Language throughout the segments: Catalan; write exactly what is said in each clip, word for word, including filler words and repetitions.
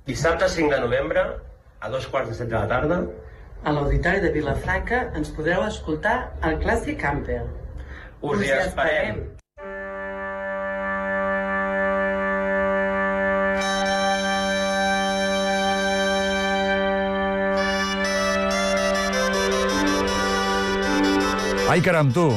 Dissabte cinc de novembre, a dos quarts de set de la tarda, a l'Auditori de Vilafranca ens podreu escoltar el Clàssic Camper. Us hi esperem! Ai, caram, tu,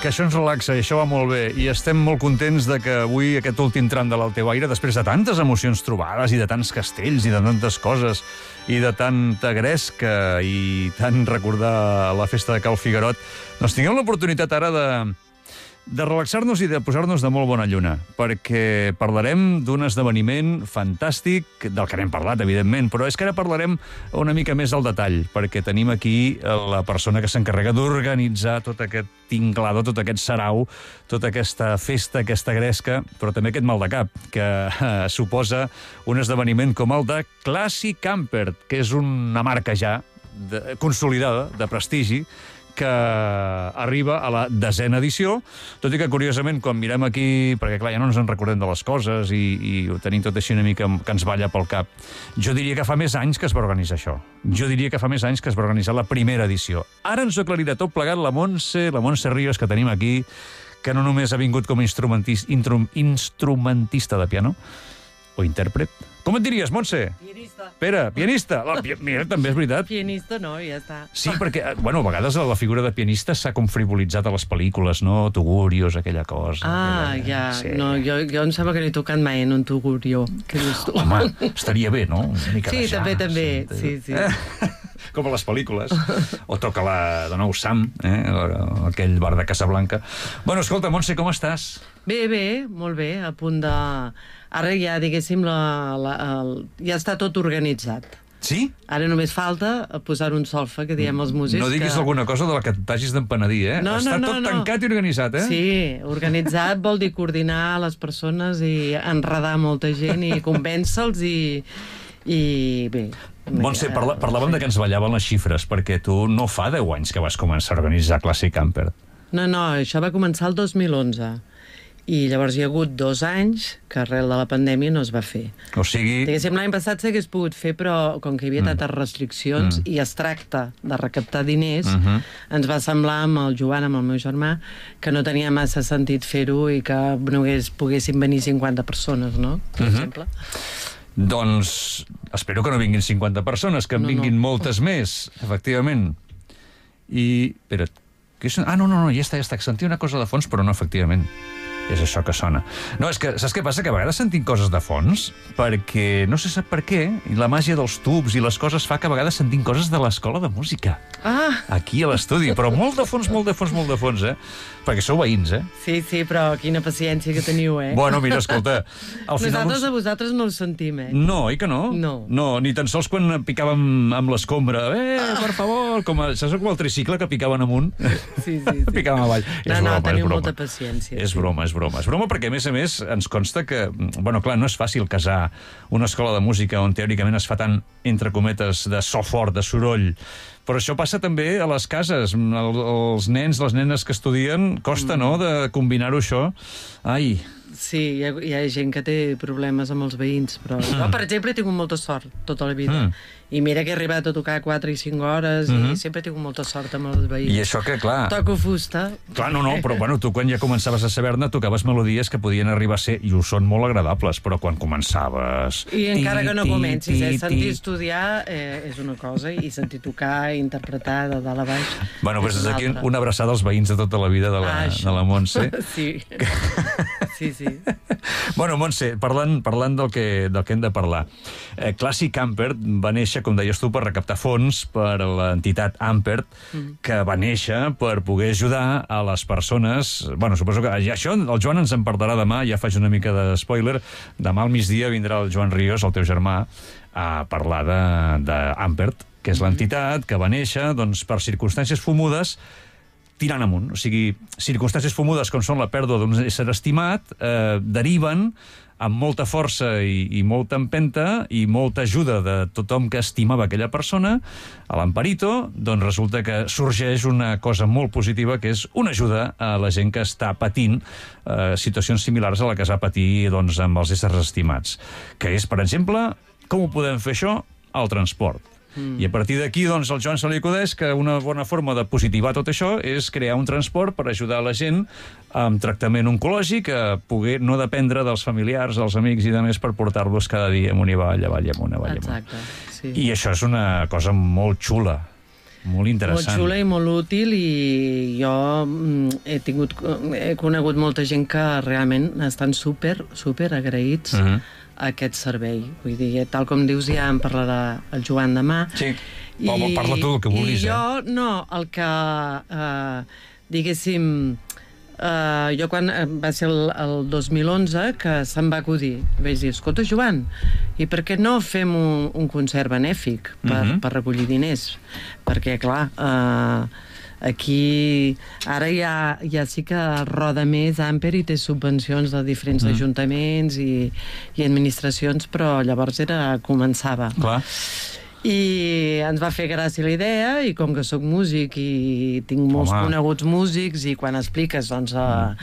que això ens relaxa i això va molt bé. I estem molt contents de que avui, aquest últim tram de l'Alteuaire, després de tantes emocions trobades i de tants castells i de tantes coses i de tanta gresca i tant recordar la festa de Cal Figuerot, doncs tinguem l'oportunitat ara de, de relaxar-nos i de posar-nos de molt bona lluna, perquè parlarem d'un esdeveniment fantàstic, del que n'hem parlat, evidentment, però és que ara parlarem una mica més al detall, perquè tenim aquí la persona que s'encarrega d'organitzar tot aquest tinglado, tot aquest sarau, tota aquesta festa, aquesta gresca, però també aquest mal de cap, que eh, suposa un esdeveniment com el de Classic Camper, que és una marca ja de, consolidada, de prestigi, que arriba a la desena edició, tot i que, curiosament, quan mirem aquí, perquè, clar, ja no ens en recordem de les coses i, i ho tenim tot així una mica que ens balla pel cap, jo diria que fa més anys que es va organitzar això. Jo diria que fa més anys que es va organitzar la primera edició. Ara ens ho aclarirà tot plegat la Montse, la Montse Ríos, que tenim aquí, que no només ha vingut com a instrumentista, instrumentista de piano, o intèrpret. Com et diries, Montse? Pianista. Pere, pianista. La, pi mira, també és veritat. Pianista no, ja està. Sí, perquè, bueno, a vegades la figura de pianista s'ha com frivolitzat a les pel·lícules, no? Tugurios, aquella cosa. Ah, aquella... ja. Sí. No, jo, jo em sembla que no he tocat mai en un tugurio. Què dius tu? Home, estaria bé, no? Una mica sí, de jazz, també, també. Sí, sí. Com a les pel·lícules. O toca la de nou Sam, eh? Aquell bar de Casablanca. Bueno, escolta, Montse, com estàs? Bé, bé, molt bé, a punt de... Ara ja, diguéssim, la, la, el... ja està tot organitzat. Sí? Ara només falta posar un solfa, que diem els músics. No diguis que... alguna cosa de la que t'hagis d'empenedir, eh? No, Està no, no, tot no. tancat i organitzat, eh? Sí, organitzat vol dir coordinar les persones i enredar molta gent i convèncer-los i... i bé... Montse, parla, parlàvem sí. de que ens ballaven les xifres, perquè tu no fa deu anys que vas començar a organitzar Classic Camper. No, no, això va començar el dos mil onze. I llavors hi ha hagut dos anys que arrel de la pandèmia no es va fer. O sigui... Diguéssim, l'any passat s'hagués pogut fer, però com que hi havia mm. tantes restriccions mm. i es tracta de recaptar diners, mm -hmm. ens va semblar amb el Joan, amb el meu germà, que no tenia massa sentit fer-ho i que només poguessin venir cinquanta persones, no? Per mm -hmm. exemple. Doncs espero que no vinguin cinquanta persones, que en no, vinguin no. moltes més, efectivament. I... Espera't. Que és... Ah, no, no, no, ja està, ja està. Sentia una cosa de fons, però no, efectivament. És això que sona. No, és que, saps què passa? Que a vegades sentim coses de fons perquè, no sé sap per què, i la màgia dels tubs i les coses fa que a vegades sentim coses de l'escola de música. Ah! Aquí a l'estudi, però molt de fons, molt de fons, molt de fons, eh? Perquè sou veïns, eh? Sí, sí, però quina paciència que teniu, eh? Bueno, mira, escolta... Al final Nosaltres uns... a vosaltres no ho sentim, eh? No, oi que no? No. No, ni tan sols quan picàvem amb l'escombra. Eh, per favor! Com a, saps com el tricicle que picaven amunt? Sí, sí, sí. Picaven avall. No, és no, broma, teniu és broma. molta paciència. És sí. broma, és broma. És broma perquè, a més a més, ens consta que... Bueno, clar, no és fàcil casar una escola de música on teòricament es fa tant, entre cometes, de so fort, de soroll. Però això passa també a les cases. El, els nens, les nenes que estudien, costa, mm. no?, de combinar-ho això. Ai... Sí, hi ha, hi ha gent que té problemes amb els veïns, però jo, per exemple, he tingut molta sort tota la vida. Mm. I mira que he arribat a tocar quatre i cinc hores mm -hmm. i sempre he tingut molta sort amb els veïns. I això que, clar... Toco fusta. Clar, no, no, però bueno, tu quan ja començaves a saber-ne tocaves melodies que podien arribar a ser, i ho són molt agradables, però quan començaves... I encara que no comencis, eh? Sentir estudiar eh, és una cosa, i sentir tocar i interpretar de dalt a baix... Bueno, doncs des d'aquí una abraçada als veïns de tota la vida de la, ah, de la Montse. Sí, sí, sí. Bueno, Montse, parlant, parlant del, que, del que hem de parlar. Eh, Classic Camper va néixer, com deies tu, per recaptar fons per a l'entitat Ampert, mm. que va néixer per poder ajudar a les persones... Bueno, suposo que ja això el Joan ens en parlarà demà, ja faig una mica de spoiler. Demà al migdia vindrà el Joan Ríos, el teu germà, a parlar d'Ampert, que és l'entitat que va néixer doncs, per circumstàncies fumudes tirant amunt. O sigui, circumstàncies fumudes com són la pèrdua d'un ésser estimat eh, deriven amb molta força i, i molta empenta i molta ajuda de tothom que estimava aquella persona, a l'Amparito, doncs resulta que sorgeix una cosa molt positiva, que és una ajuda a la gent que està patint eh, situacions similars a la que es va patir doncs, amb els éssers estimats. Que és, per exemple, Com ho podem fer això? El transport. Mm. I a partir d'aquí, doncs, al Joan se li acudeix que una bona forma de positivar tot això és crear un transport per ajudar la gent amb tractament oncològic a poder no dependre dels familiars, dels amics i de més per portar-los cada dia amunt i avall, avall i amunt, avall i amunt. Exacte, sí. I això és una cosa molt xula, molt interessant. Molt xula i molt útil, i jo he tingut, he conegut molta gent que realment estan super, super agraïts uh -huh. a aquest servei. Vull dir, tal com dius, ja en parlarà el Joan demà. Sí, I, parla tu el que vulguis. I jo, eh? no, el que, eh, diguéssim, Uh, jo quan va ser el, el dos mil onze que se'm va acudir, vaig dir, escolta Joan, i per què no fem un, un concert benèfic per, uh-huh. per recollir diners? Perquè clar, uh, aquí ara ja, ja sí que roda més Amper i té subvencions de diferents uh-huh. ajuntaments i, i administracions, però llavors era començava. Clar. I ens va fer gràcia la idea, i com que sóc músic i tinc molts Home. coneguts músics, i quan expliques doncs, uh,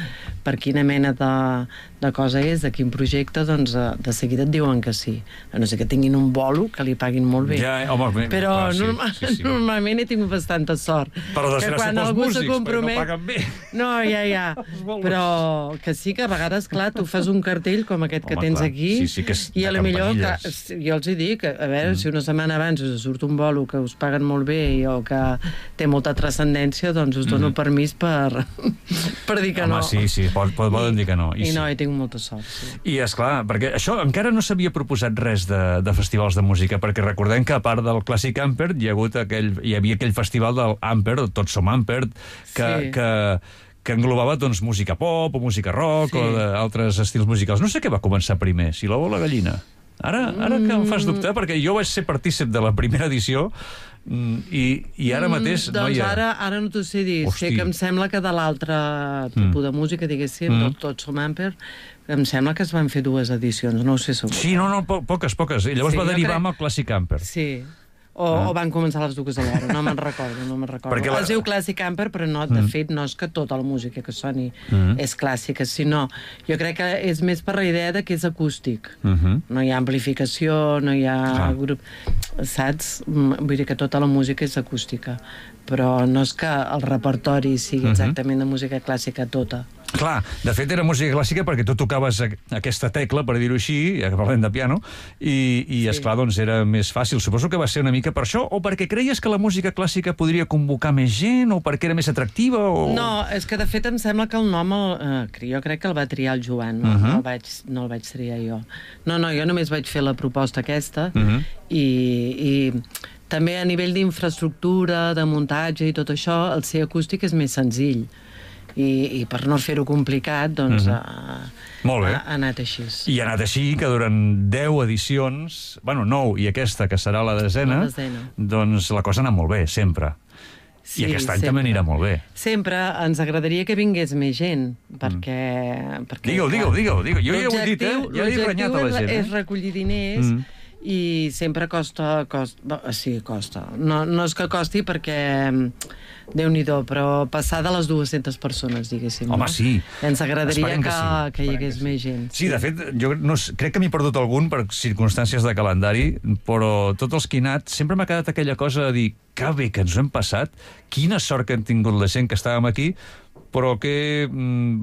per quina mena de, de cosa és, de quin projecte, doncs uh, de seguida et diuen que sí. A no ser que tinguin un bolo que li paguin molt bé. Ja, home, bé, però clar, sí, norma sí, sí. normalment he tingut bastanta sort. Però desgràcia pels músics, compromet... perquè no paguen bé. No, ja, ja. Però que sí que a vegades, clar, tu fas un cartell com aquest Home, que tens clar. aquí, sí, sí, que és i a lo millor que, jo els hi dic, a veure, mm. si una setmana abans us surt un bolo que us paguen molt bé o que té molta transcendència, doncs us dono mm. permís per, per dir que Home, no. sí, sí, pot, poden dir que no. I, I i no, sí. hi tinc molta sort, sí. I, esclar, perquè això encara no s'havia proposat res de, de festivals de música, perquè recordem que a part del Clàssic Amper hi, ha hagut aquell, hi havia aquell festival del Amper, Tots som Amper, que... Sí. que que englobava doncs, música pop o música rock sí. o d'altres estils musicals. No sé què va començar primer, si l'ou o la gallina. Ara, ara que em fas dubtar, perquè jo vaig ser partícip de la primera edició i, i ara mateix... Mm, doncs noia... ara, ara no t'ho sé dir. Hosti. Sé que em sembla que de l'altre tipus mm. de música, diguéssim, mm. Tots som Amper, em sembla que es van fer dues edicions, no ho sé segur. Sí, no, no, po poques, poques. I llavors sí, va derivar crec... amb el Clàssic Amper. Sí. O, ah. o van començar les dues alhora, no me'n recordo, no me'n recordo. La... Es diu Clàssic Amper, però no, de mm. fet no és que tota la música que soni mm. és clàssica, sinó jo crec que és més per la idea de que és acústic. Mm -hmm. No hi ha amplificació, no hi ha ah. grup... Saps? Vull dir que tota la música és acústica, però no és que el repertori sigui exactament de música clàssica tota. Clar, de fet era música clàssica perquè tu tocaves aquesta tecla, per dir-ho així, ja que parlem de piano, i, i sí. esclar, doncs era més fàcil. Suposo que va ser una mica per això, o perquè creies que la música clàssica podria convocar més gent, o perquè era més atractiva, o... No, és que de fet em sembla que el nom, el, eh, jo crec que el va triar el Joan, no, uh -huh. no, el, vaig, no el vaig triar jo. No, no, jo només vaig fer la proposta aquesta, uh -huh. i... i també a nivell d'infraestructura, de muntatge i tot això, el ser acústic és més senzill. I, i per no fer-ho complicat, doncs, mm -hmm. ha, Molt bé. ha, ha anat així. I ha anat així que durant deu edicions, bueno, nou, i aquesta, que serà la desena, la desena. doncs la cosa ha anat molt bé, sempre. Sí, I aquest any sempre. També anirà molt bé. Sempre. Ens agradaria que vingués més gent, perquè... Mm. perquè digue-ho, digue-ho, digue-ho, digue-ho. Jo ja ho he dit, eh? Ja he renyat a la gent. És, és recollir diners, mm. i sempre costa... costa sí, costa. No, no és que costi perquè... Déu-n'hi-do, però passar de les dues-centes persones, diguéssim. Home, no? sí. Ens agradaria que, que, sí. que hi hagués més gent. Sí, sí, de fet, jo no, crec que m'he perdut algun per circumstàncies de calendari, però tots els que he anat sempre m'ha quedat aquella cosa de dir que bé que ens ho hem passat, quina sort que hem tingut la gent que estàvem aquí, però que,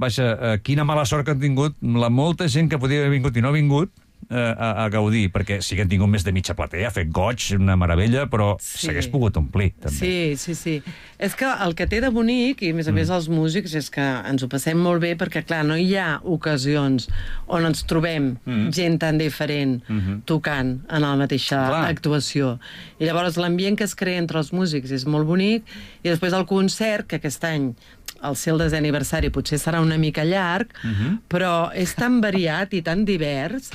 vaja, quina mala sort que han tingut la molta gent que podia haver vingut i no ha vingut, A, a gaudir, perquè sí que han tingut més de mitja platea, ha fet goig, una meravella, però sí. s'hagués pogut omplir, també. Sí, sí, sí. És que el que té de bonic, i a més a més mm. els músics, és que ens ho passem molt bé, perquè, clar, no hi ha ocasions on ens trobem mm. gent tan diferent mm -hmm. tocant en la mateixa clar. actuació. I llavors l'ambient que es crea entre els músics és molt bonic, i després el concert, que aquest any el seu desè aniversari potser serà una mica llarg, uh-huh. però és tan variat i tan divers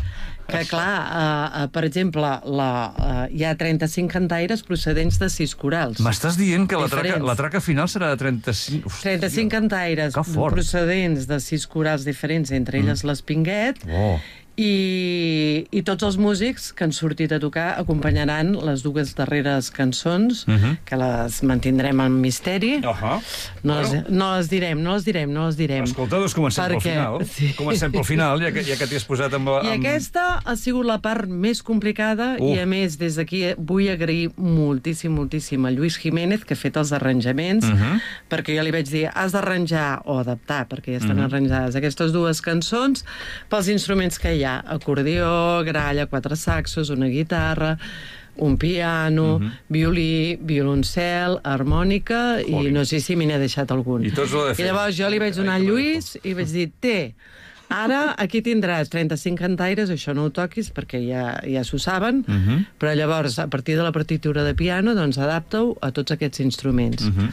que, clar, uh, uh, per exemple, la, uh, hi ha trenta-cinc cantaires procedents de sis corals. M'estàs dient que la traca, la traca final serà de trenta-cinc... Hòstia, trenta-cinc cantaires procedents de sis corals diferents, entre elles mm. l'Espinguet, oh. I, i tots els músics que han sortit a tocar acompanyaran les dues darreres cançons, uh -huh. que les mantindrem en misteri. Uh -huh. no, bueno. les, no les direm, no les direm, no les direm. Escolta, doncs comencem Perquè, pel final. Sí. Comencem pel final, ja que, ja que t'hi has posat amb... amb... I aquesta ha sigut la part més complicada uh. i, a més, des d'aquí vull agrair moltíssim, moltíssim a Lluís Jiménez, que ha fet els arranjaments, uh -huh. perquè jo li vaig dir, has d'arranjar o adaptar, perquè ja estan uh -huh. arranjades aquestes dues cançons, pels instruments que hi ha, acordió, gralla, quatre saxos, una guitarra, un piano, uh -huh. violí, violoncel, harmònica, Fòlic. I no sé si me n'he deixat algun. I tots ho de fer. I llavors jo li vaig donar a Lluís i vaig dir, té, ara aquí tindràs trenta-cinc cantaires, això no ho toquis perquè ja, ja s'ho saben, uh -huh. però llavors, a partir de la partitura de piano, doncs adapta-ho a tots aquests instruments. Uh -huh.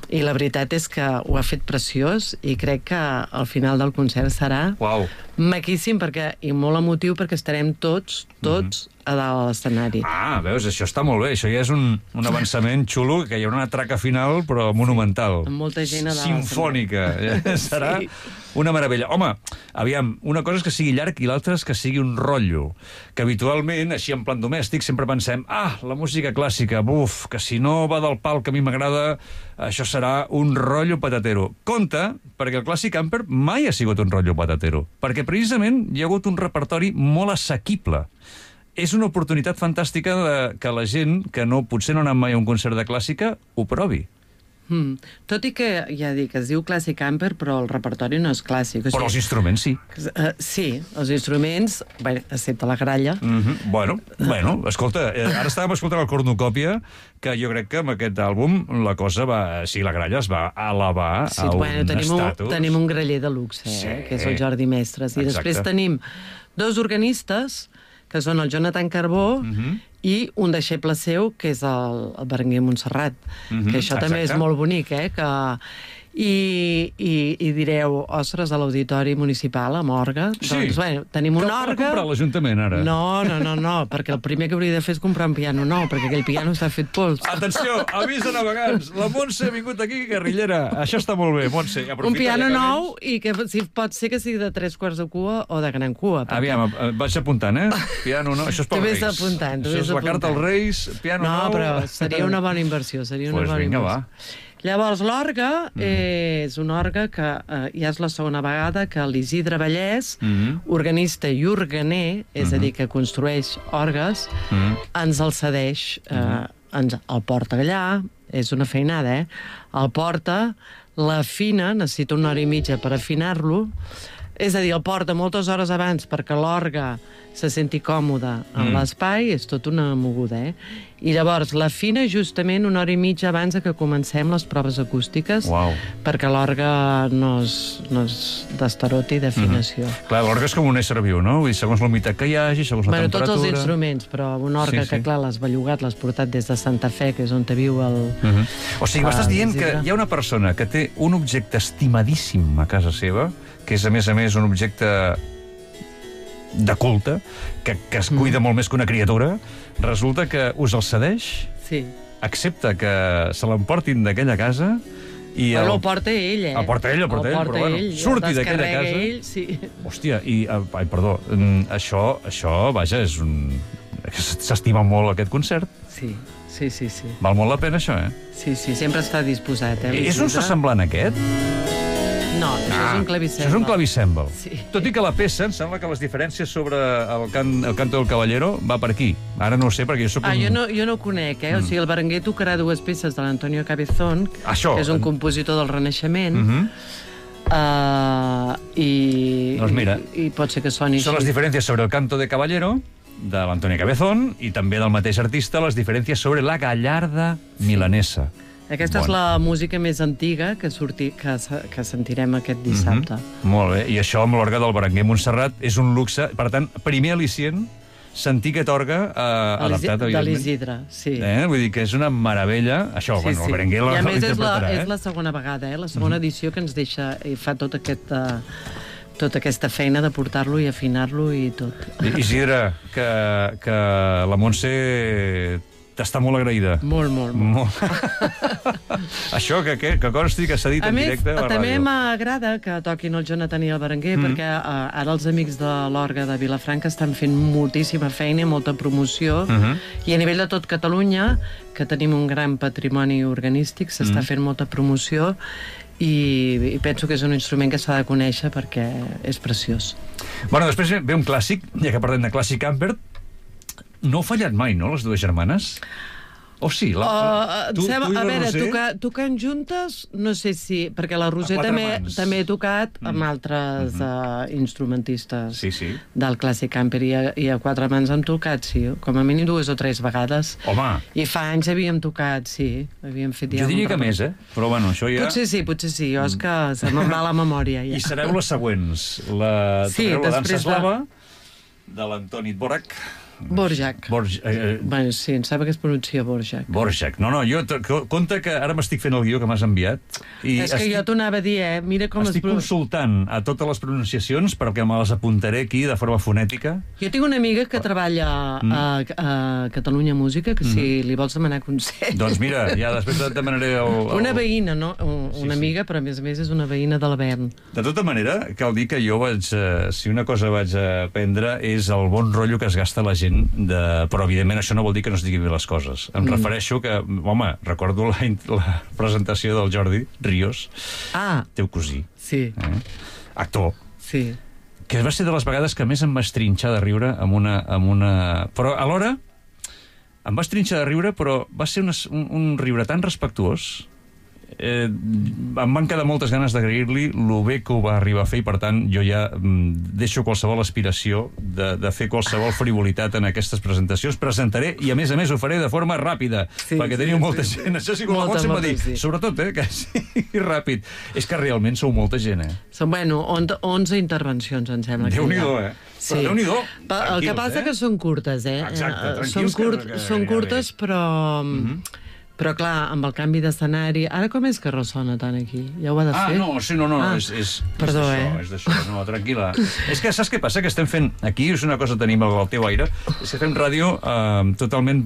I la veritat és que ho ha fet preciós i crec que al final del concert serà Uau. maquíssim perquè, i molt emotiu perquè estarem tots, tots uh -huh. a dalt de l'escenari. Ah, veus, això està molt bé. Això ja és un, un avançament xulo, que hi haurà una traca final, però monumental. Amb molta gent a dalt. Simfònica. Serà sí. una meravella. Home, aviam, una cosa és que sigui llarg i l'altra és que sigui un rotllo. Que habitualment, així en plan domèstic, sempre pensem, ah, la música clàssica, buf, que si no va del pal que a mi m'agrada, això serà un rotllo patatero. Compte, perquè el Classic Camper mai ha sigut un rotllo patatero, perquè precisament hi ha hagut un repertori molt assequible. És una oportunitat fantàstica de que la gent que no potser no ha anat mai a un concert de clàssica ho provi. Mm. Tot i que, ja dic, es diu Classic Camper, però el repertori no és clàssic. O sigui, però els instruments sí. Uh, sí, els instruments, bé, excepte la gralla. Mm -hmm. Bueno, bueno, escolta, eh, ara estàvem escoltant el cornucòpia, que jo crec que amb aquest àlbum la cosa va... Sí, la gralla es va elevar sí, a bueno, un tenim estatus. Un, tenim un graller de luxe, eh, sí. que és el Jordi Mestres. I Exacte. després tenim dos organistes, que són el Jonathan Carbó, mm -hmm. i un deixeble seu, que és el, el Berenguer Montserrat, mm -hmm. que això Exacte. també és molt bonic, eh? Que... I, i, i direu, ostres, a l'Auditori Municipal, amb orgue, sí. doncs, bueno, tenim un Cal orgue... comprar l'Ajuntament, ara. No, no, no, no, perquè el primer que hauria de fer és comprar un piano nou, perquè aquell piano està fet pols. Atenció, avís de navegants, la Montse ha vingut aquí, guerrillera. Això està molt bé, Montse. Un piano nou i que si, pot ser que sigui de tres quarts de cua o de gran cua. Perquè... Aviam, vaig apuntant, eh? Piano nou, això és pels Reis. Tu vés apuntant, tu Això vés és la carta als Reis, piano no, nou... No, però seria una bona inversió, seria una pues bona vinga, inversió. Va. Llavors, l'orgue mm. és un orgue que eh, ja és la segona vegada que l'Isidre Vallès, mm. organista i organer, és mm. a dir, que construeix orgues, mm. ens el cedeix, eh, mm. ens el porta allà, és una feinada, eh? El porta, l'afina, necessita una hora i mitja per afinar-lo, és a dir, el porta moltes hores abans perquè l'orgue se senti còmode en mm. l'espai, és tot una moguda, eh? I llavors l'afina justament una hora i mitja abans que comencem les proves acústiques, wow. perquè l'orgue no es, no es destaroti d'afinació. Mm-hmm. Clar, l'orgue és com un ésser viu, no? Vull dir, segons la humitat que hi hagi, segons la bueno, temperatura... Tots els instruments, però un orgue sí, que, sí. clar, l'has bellugat, l'has portat des de Santa Fe, que és on te viu el... Mm-hmm. O sigui, m'estàs dient que hi ha una persona que té un objecte estimadíssim a casa seva, que és, a més a més, un objecte de culte, que, que es cuida mm. molt més que una criatura, resulta que us el cedeix, sí. accepta que se l'emportin d'aquella casa i... Bueno, el... el porta ell, eh? El porta ell, el porta, el porta ell, però ell, bueno, surti d'aquella casa... Ell, sí. Hòstia, i... Ai, perdó, això, això, vaja, és un... S'estima molt aquest concert. Sí, sí, sí, sí. Val molt la pena, això, eh? Sí, sí, sempre està disposat, eh? És un semblant aquest? No, això ah, és un clavicèmbal. Això és un clavicèmbal. Sí. Tot i que la peça, em sembla que les diferències sobre el, can, el canto del Caballero va per aquí. Ara no ho sé, perquè jo soc ah, un... jo no, jo no ho conec, eh? Mm. O sigui, el Berenguer tocarà dues peces de l'Antonio Cabezón, Això, que és un en... compositor del Renaixement, mm -hmm. uh, i, doncs mira, i, i pot ser que soni són així. les diferències sobre el canto de Caballero, de l'Antonio Cabezón, i també del mateix artista, les diferències sobre la Gallarda milanesa. Aquesta bon. és la música més antiga que, surti, que, que sentirem aquest dissabte. Mm-hmm. Molt bé, i això amb l'orgue del Berenguer Montserrat és un luxe. Per tant, primer al·licient sentir aquest orgue eh, adaptat, evidentment. De l'Isidre, sí. Eh? Vull dir que és una meravella. Això, sí, bueno, sí. el Berenguer l'interpretarà. I a més és la, eh? és la segona vegada, eh? la segona mm-hmm. edició que ens deixa i fa tot aquest... Uh, tota aquesta feina de portar-lo i afinar-lo i tot. Isidre, que, que la Montse T'està molt agraïda. Molt, molt, molt. molt. Això que, que, que consti que s'ha dit A en més, directe a la també ràdio. m'agrada que toquin el Jonathan i el Berenguer, mm. perquè uh, ara els amics de l'Orga de Vilafranca estan fent moltíssima feina i molta promoció, mm -hmm. i a nivell de tot Catalunya, que tenim un gran patrimoni organístic, s'està mm. fent molta promoció, i, i penso que és un instrument que s'ha de conèixer perquè és preciós. Bueno, després ve un clàssic, ja que parlem de clàssic Camper. No heu fallat mai, no, les dues germanes? O sí? La, uh, tu, sembla, tu i la a veure, Roser? tocar, tocant juntes, no sé si... Perquè la Roser també, també he tocat mm. amb altres mm -hmm. uh, instrumentistes sí, sí. del Clàssic Camper, i a, i a Quatre Mans hem tocat, sí, com a mínim dues o tres vegades. Home! I fa anys havíem tocat, sí. Havíem fet ja jo diria que més, eh? Però bueno, això ja... Potser sí, potser sí. Jo és que se me'n va la memòria, ja. I sereu les següents. La, sí, la dansa de... eslava, de l'Antoni Dvorak. Borjak. Borj, eh, bueno, sí, em sembla que es pronuncia Borjak. Borjak. No, no, jo... Compte que ara m'estic fent el guió que m'has enviat. I és que estic, jo t'ho anava a dir, eh? Mira com estic es... consultant a totes les pronunciacions perquè me les apuntaré aquí de forma fonètica. Jo tinc una amiga que treballa mm. a, a Catalunya Música, que si mm. li vols demanar consell... Doncs mira, ja després et demanaré el... el... Una veïna, no? Una sí, amiga, sí. Però a més a més és una veïna de l'Avern. De tota manera, cal dir que jo vaig... Eh, si una cosa vaig aprendre és el bon rotllo que es gasta la gent de... Però, evidentment, això no vol dir que no es diguin bé les coses. Em mm. refereixo que, home, recordo la, la presentació del Jordi Ríos, ah, teu cosí, sí. eh? actor, sí. que va ser de les vegades que més em va estrinxar de riure amb una... Amb una... Però, alhora, em va estrinxar de riure, però va ser una, un, un riure tan respectuós. Eh, em van quedar moltes ganes d'agrair-li lo bé que ho va arribar a fer, i per tant jo ja mm, deixo qualsevol aspiració de, de fer qualsevol frivolitat en aquestes presentacions. Presentaré, i a més a més ho faré de forma ràpida, sí, perquè teniu sí, molta sí, gent. Això sí que la Montse m'ha dit, sí. Sobretot, eh, que sigui ràpid. És que realment sou molta gent, eh? Són, bueno, onze intervencions, em sembla. Déu-n'hi-do, eh? Sí. Però Déu-n'hi-do. El que passa eh? que són curtes, eh? Exacte, són, curt, que, que, són curtes, però... Mm-hmm. Però, clar, amb el canvi d'escenari... Ara com és que ressona tant aquí? Ja ho ha de ah, fer? Ah, no, sí, no, no, ah, és, és, perdó, és eh? d'això, és d'això, no, tranquil·la. És que saps què passa? Que estem fent... Aquí és una cosa que tenim al teu aire, és que fem ràdio eh, totalment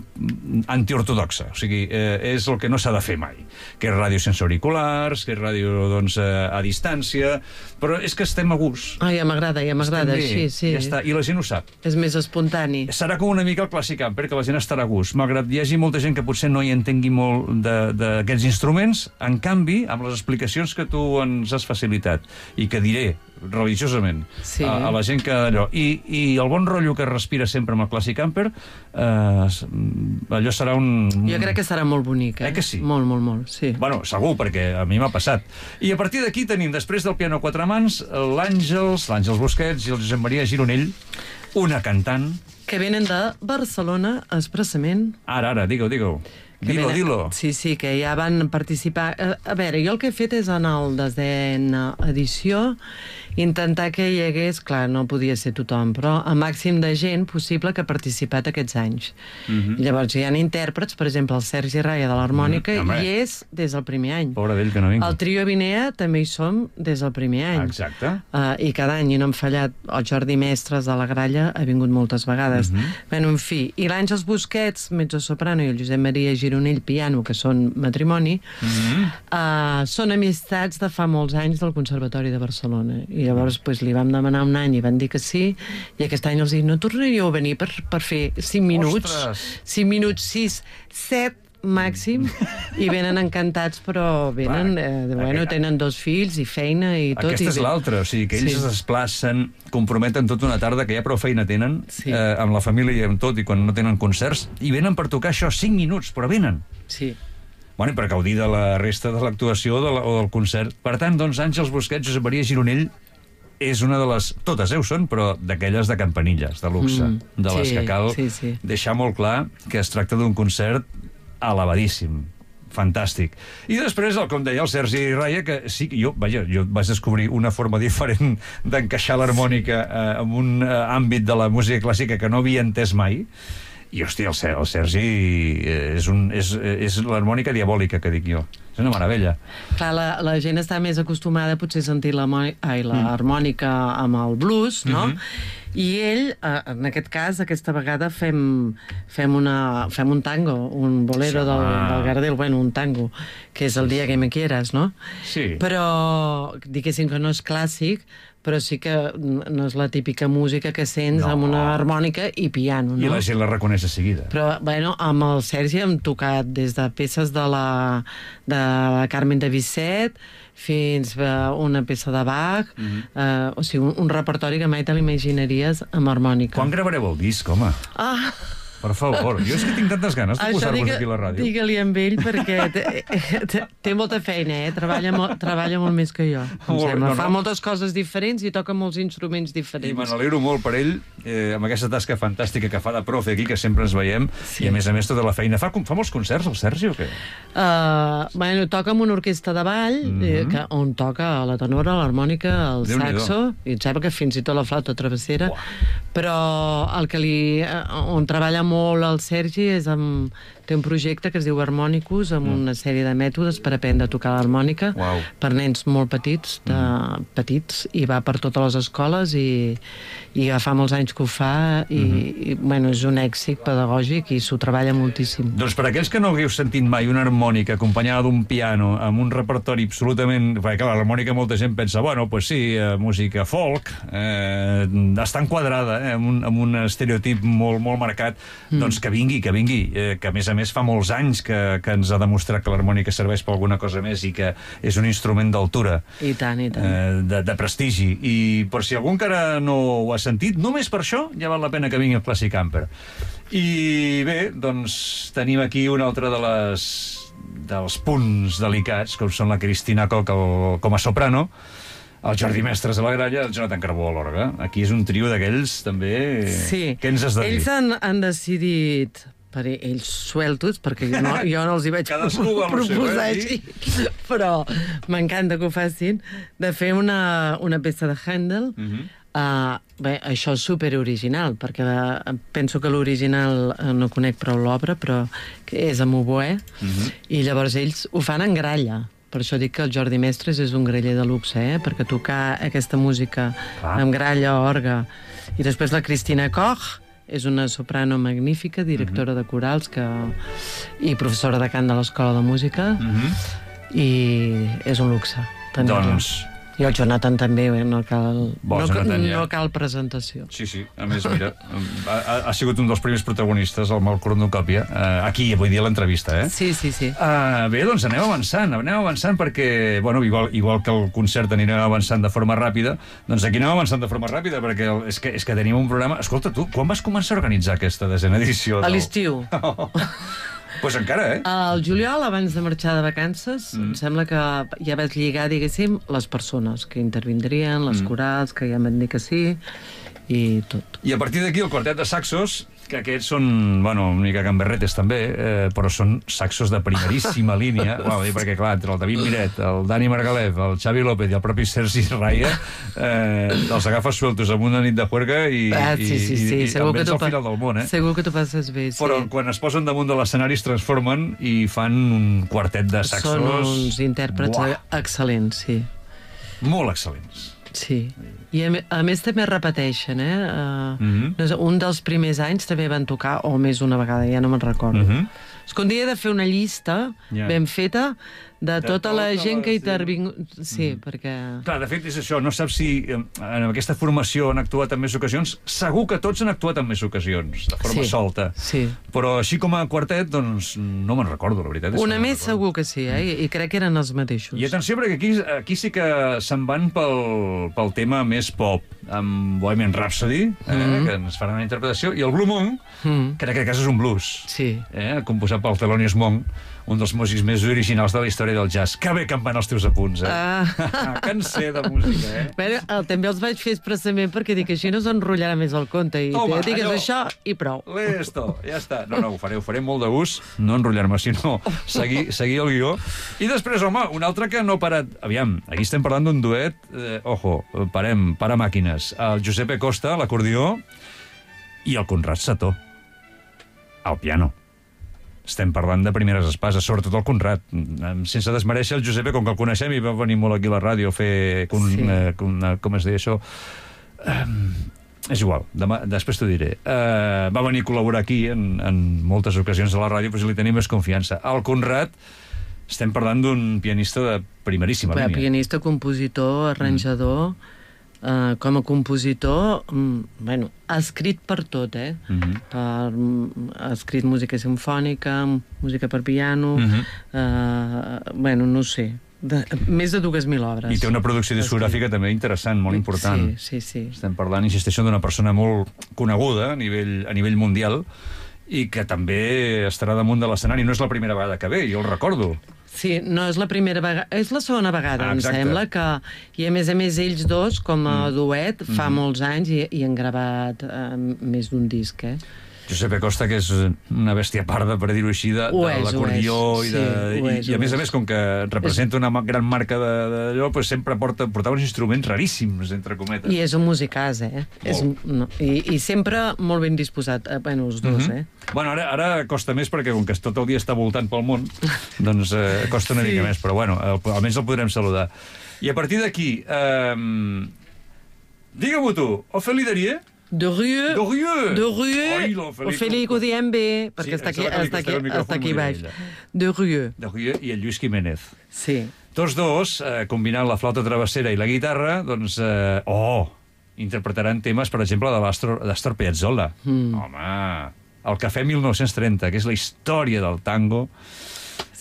antiortodoxa, o sigui, eh, és el que no s'ha de fer mai, que és ràdio sense auriculars, que és ràdio, doncs, eh, a distància, però és que estem a gust. Ah, ja m'agrada, ja m'agrada, així, sí. Ja està, i la gent ho sap. És més espontani. Serà com una mica el Clàssic Camper, que la gent estarà a gust, malgrat hi hagi molta gent que potser no hi entengui molt de, de d'aquests instruments. En canvi, amb les explicacions que tu ens has facilitat i que diré religiosament sí. a, a la gent que allò, i, i el bon rotllo que respira sempre amb el Clàssic Camper, eh, allò serà un... Jo crec que serà molt bonic, eh? Eh que sí? Molt, molt, molt, sí. Bueno, segur, perquè a mi m'ha passat. I a partir d'aquí tenim, després del piano a quatre mans, l'Àngels, l'Àngels Busquets i el Josep Maria Gironell, una cantant... Que venen de Barcelona, expressament. Ara, ara, digue-ho, digue-ho. Dilo, dilo. Sí, sí, que ja van participar... A, a veure, jo el que he fet és en el desena edició intentar que hi hagués... Clar, no podia ser tothom, però el màxim de gent possible que ha participat aquests anys. Mm-hmm. Llavors, hi ha intèrprets, per exemple, el Sergi Raya de l'harmònica, mm, hi és des del primer any. Pobre d'ell, que no vingui. El trio Vinea també hi som des del primer any. Exacte. Uh, I cada any, i no hem fallat, el Jordi Mestres de la Gralla ha vingut moltes vegades. Mm-hmm. Bueno, en fi, i l'Àngels Busquets, mezzo-soprano, i el Josep Maria Gironell, piano, que són matrimoni, mm-hmm. uh, són amistats de fa molts anys del Conservatori de Barcelona. I llavors pues, li vam demanar un any i van dir que sí, i aquest any els dic, no tornaríeu a venir per, per fer cinc minuts? Ostres! cinc minuts, sis, set màxim, i venen encantats, però venen, eh, bueno, tenen dos fills i feina i tot. Aquesta és l'altra, o sigui, que ells sí. es desplacen, comprometen tota una tarda, que ja prou feina tenen, sí. eh, amb la família i amb tot, i quan no tenen concerts, i venen per tocar això cinc minuts, però venen. Sí. Bueno, i per gaudir de la resta de l'actuació de la, o del concert. Per tant, doncs, Àngels Busquets, Josep Maria Gironell, és una de les... Totes heu són, però d'aquelles de campanilles, de luxe, mm, de les sí, que cal sí, sí. deixar molt clar que es tracta d'un concert elevadíssim, fantàstic. I després, el, com deia el Sergi Raya, que sí, jo, vaja, jo vaig descobrir una forma diferent d'encaixar l'harmònica eh, en un eh, àmbit de la música clàssica que no havia entès mai, I, hòstia, el, el Sergi és, un, és, és l'harmònica diabòlica, que dic jo. És una meravella. Clar, la, la gent està més acostumada potser a sentir l'harmònica mm. amb el blues, no? Mm-hmm. I ell, en aquest cas, aquesta vegada fem, fem, una, fem un tango, un bolero sí, del, del Gardel, bueno, un tango, que és el dia que me quieras, no? Sí. Però, diguéssim que no és clàssic, però sí que no és la típica música que sents no. amb una harmònica i piano, no? I la gent la reconeix de seguida. Però, bueno, amb el Sergi hem tocat des de peces de la, de la Carmen de Bizet fins a una peça de Bach, mm-hmm. eh, o sigui, un, un repertori que mai te l'imaginaries amb harmònica. Quan gravareu el disc, home? Ah... Per favor, jo és que tinc tantes ganes de posar-vos aquí a la ràdio. Digue-li amb ell, perquè té, té molta feina, eh? Treballa, mo, treballa molt més que jo, em molt, sembla. No, Fa no. moltes coses diferents i toca molts instruments diferents. I me n'alegro molt per ell, eh, amb aquesta tasca fantàstica que fa de profe aquí, que sempre ens veiem, sí. I a més a més tota la feina. Fa, fa molts concerts, el Sergi, o què? Uh, bueno, toca amb una orquestra de ball, mm-hmm. eh, que, on toca la tenora, l'harmònica, el saxo, i em sembla que fins i tot la flauta travessera, wow. Però el que li... on treballa molt el Sergi és amb... té un projecte que es diu Harmonicus, amb mm. una sèrie de mètodes per aprendre a tocar l'harmònica wow. per nens molt petits, de, mm. petits, i va per totes les escoles i, i ja fa molts anys que ho fa i, mm-hmm. i bueno, és un èxit pedagògic i s'ho treballa moltíssim. Doncs per aquells que no hagueu sentit mai una harmònica acompanyada d'un piano amb un repertori absolutament... Perquè clar, l'harmònica molta gent pensa, bueno, pues sí, eh, música folk, eh, està enquadrada eh, amb, un, amb un estereotip molt, molt marcat, mm. doncs que vingui, que vingui, eh, que a més a més fa molts anys que, que ens ha demostrat que l'harmònica serveix per alguna cosa més i que és un instrument d'altura. I tant, i tant. Eh, de, de prestigi. I per si algú encara no ho ha sentit, només per això ja val la pena que vingui el Classic Camper. I bé, doncs tenim aquí una altra de les dels punts delicats, com són la Cristina Koch el, com a soprano, el Jordi Mestres a la gralla, el Jonathan Carbó a l'orgue. Aquí és un trio d'aquells, també... Sí. Què ens has de dir? Ells han, han decidit... per ells sueltos, perquè jo no, jo no els hi vaig proposar així, eh? Però m'encanta que ho facin, de fer una, una peça de Handel. Uh-huh. uh, bé, això és superoriginal, perquè la, penso que l'original uh, no conec prou l'obra, però que és amb oboè, uh-huh. I llavors ells ho fan en gralla. Per això dic que el Jordi Mestres és un graller de luxe, eh? Perquè tocar aquesta música ah. amb gralla, orgue, i després la Cristina Koch, és una soprano magnífica, directora uh-huh. de corals que... i professora de cant de l'Escola de Música, uh-huh. I és un luxe. Doncs... I el Jonathan també, no cal, Bo, no, Jonathan, ja. no cal presentació. Sí, sí, a més, mira, ha, ha sigut un dels primers protagonistes, el Mal Cornucòpia, uh, aquí, avui dia, a l'entrevista, eh? Sí, sí, sí. Uh, bé, doncs anem avançant, anem avançant perquè, bueno, igual, igual que el concert anirem avançant de forma ràpida, doncs aquí anem avançant de forma ràpida, perquè el, és, que, és que tenim un programa... Escolta, tu, quan vas començar a organitzar aquesta desena edició? A l'estiu. Oh. Pues encara, eh? El juliol, abans de marxar de vacances, mm. em sembla que ja vas lligar, diguéssim, les persones que intervindrien, les mm. corals, que ja m'han dit que sí, i tot. I a partir d'aquí el quartet de saxos, que aquests són, bueno, una mica gamberretes també, eh, però són saxos de primeríssima línia, bueno, perquè clar, entre el David Miret, el Dani Margalef, el Xavi López i el propi Sergi Raya, eh, els agafes sueltos amb una nit de juerga i, ah, sí, sí, sí. i, i segur també que al final del món, eh? Segur que t'ho passes bé, sí. Però quan es posen damunt de l'escenari es transformen i fan un quartet de saxos... Són uns intèrprets Buah. excel·lents, sí. Molt excel·lents. Sí, i a, a més també repeteixen, eh? Uh, mm-hmm. Un dels primers anys també van tocar, o més una vegada, ja no me'n recordo. Mm-hmm. És que un dia he de fer una llista yeah. ben feta de, de tota, tota la gent la... que hi intervingut... Sí, mm. perquè... Clar, de fet és això, no saps si en aquesta formació han actuat en més ocasions. Segur que tots han actuat en més ocasions, de forma sí. solta. Sí. Però així com a quartet, doncs no me'n recordo, la veritat. Una més segur que sí, eh? I, I crec que eren els mateixos. I atenció, perquè aquí, aquí sí que se'n van pel, pel tema més pop, amb Bohemian Rhapsody, eh? mm. que ens faran una interpretació, i el Blue Moon, mm. que en aquest cas és un blues. Sí. Eh? Composat pel Thelonious Monk, un dels músics més originals de la història del jazz. Que bé que em van els teus apunts, eh? Ah. Que en sé de música, eh? Bé, el, també els vaig fer expressament perquè dic, així no s'enrotllarà més el conte. I Home, te digues allò... això i prou. Listo, ja està. No, no, ho faré, ho faré molt de gust, no enrotllar-me, sinó seguir, seguir el guió. I després, home, un altre que no ha parat... Aviam, aquí estem parlant d'un duet, eh, ojo, parem, para màquines. El Giuseppe Costa, l'acordió, i el Conrad Sató. al piano. Estem parlant de primeres espases, sobretot el Conrad. Sense desmereixer el Giuseppe, com que el coneixem i va venir molt aquí a la ràdio a fer... Com, sí. eh, com, com es deia això? Um, és igual, demà, després t'ho diré. Uh, va venir a col·laborar aquí en, en moltes ocasions a la ràdio, però si li tenim més confiança. El Conrad, estem parlant d'un pianista de primeríssima línia. Pianista, compositor, arranjador... Mm. Uh, com a compositor, um, bueno, ha escrit per tot, eh? Uh-huh. per, um, ha escrit música simfònica, música per piano, uh-huh. uh, bueno, no sé, de, més de dues mil obres. I té una producció discogràfica també interessant, molt important. Sí, sí, sí. Estem parlant, insisteixo, d'una persona molt coneguda a nivell, a nivell mundial i que també estarà damunt de l'escenari. No és la primera vegada que ve, jo el recordo. Sí, no és la primera vegada, és la segona vegada, ah, em sembla, que... I a més a més ells dos, com a mm. duet, fa mm. molts anys i, i han gravat uh, més d'un disc, eh? Giuseppe Costa, que és una bèstia parda, per dir-ho així, de, de l'acordió i, de, sí, i, és, i a més a més, com que representa una gran marca d'allò, pues sempre porta, portava uns instruments raríssims, entre cometes. I és un musicàs, eh? És, no, i, I sempre molt ben disposat, eh? Bueno, els dos, mm-hmm. eh? Bueno, ara, ara costa més perquè com que tot el dia està voltant pel món, doncs eh, costa una sí. mica més, però bueno, el, almenys el podrem saludar. I a partir d'aquí, eh, digue-m'ho tu, Ophélie Darieux? De Rieu. De Rieu. De Rieu. Ophélie, que ho diem bé, perquè sí, està aquí, està aquí, està aquí baix. De Rieu. De Rieu i el Lluís Jiménez. Sí. Tots dos, eh, combinant la flauta travessera i la guitarra, doncs, eh, oh, interpretaran temes, per exemple, de l'Astor Piazzolla. Mm. Home, el Cafè mil nou-cents trenta, que és la història del tango.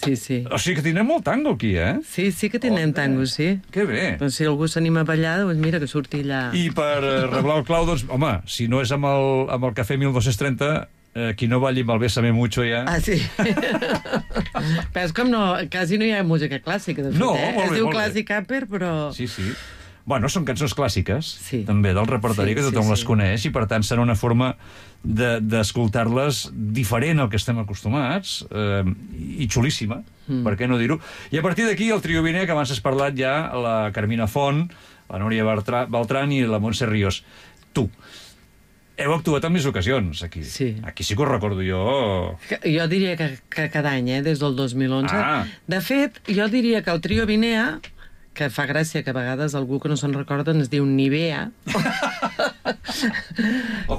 Sí, sí. O sigui que tindrem molt tango aquí, eh? Sí, sí que tindrem oh, tango, sí. Que bé. Doncs si algú s'anima a ballar, doncs mira, que surti allà. I per reblar el clau, doncs, home, si no és amb el, amb el Cafè mil dos-cents trenta, eh, qui no balli amb el Bésame Mucho ja... Ah, sí. Però és com no, quasi no hi ha música clàssica, de fet, no, eh? Molt bé, es diu molt Classic Camper, però... Sí, sí. Bueno, són cançons clàssiques, sí. també, del repertori, sí, que tothom sí, les sí. coneix, i per tant serà una forma d'escoltar-les de, diferent al que estem acostumats, eh, i xulíssima, mm. per què no dir-ho? I a partir d'aquí el trio Viner, que abans has parlat ja, la Carmina Font, la Núria Beltrán i la Montse Ríos. Tu, heu actuat en més ocasions, aquí. Sí. Aquí sí que ho recordo jo. Jo diria que, que cada any, eh, des del dos mil onze. Ah. De fet, jo diria que el trio Vinea, que fa gràcia que a vegades algú que no se'n recorda es diu Nivea.